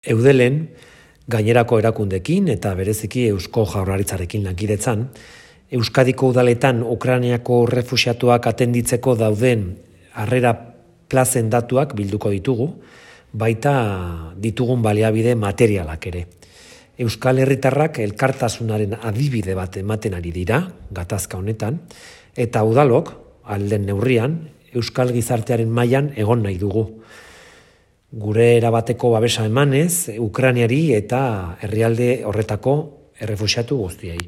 Eudelen, gainerako erakundekin eta bereziki Eusko Jaurlaritzarekin lankidetzan, Euskadiko udaletan Ukrainiako refuxiatuak atenditzeko dauden harrera plazen datuak bilduko ditugu, baita ditugun baliabide materialak ere. Euskal Herritarrak elkartasunaren adibide bat ematen ari dira, gatazka honetan, eta udalok, alden neurrian, Euskal gizartearen mailan egon nahi dugu. Gure erabateko babesa emanez, Ukrainiari eta herrialde horretako errefuxiatu guztiei.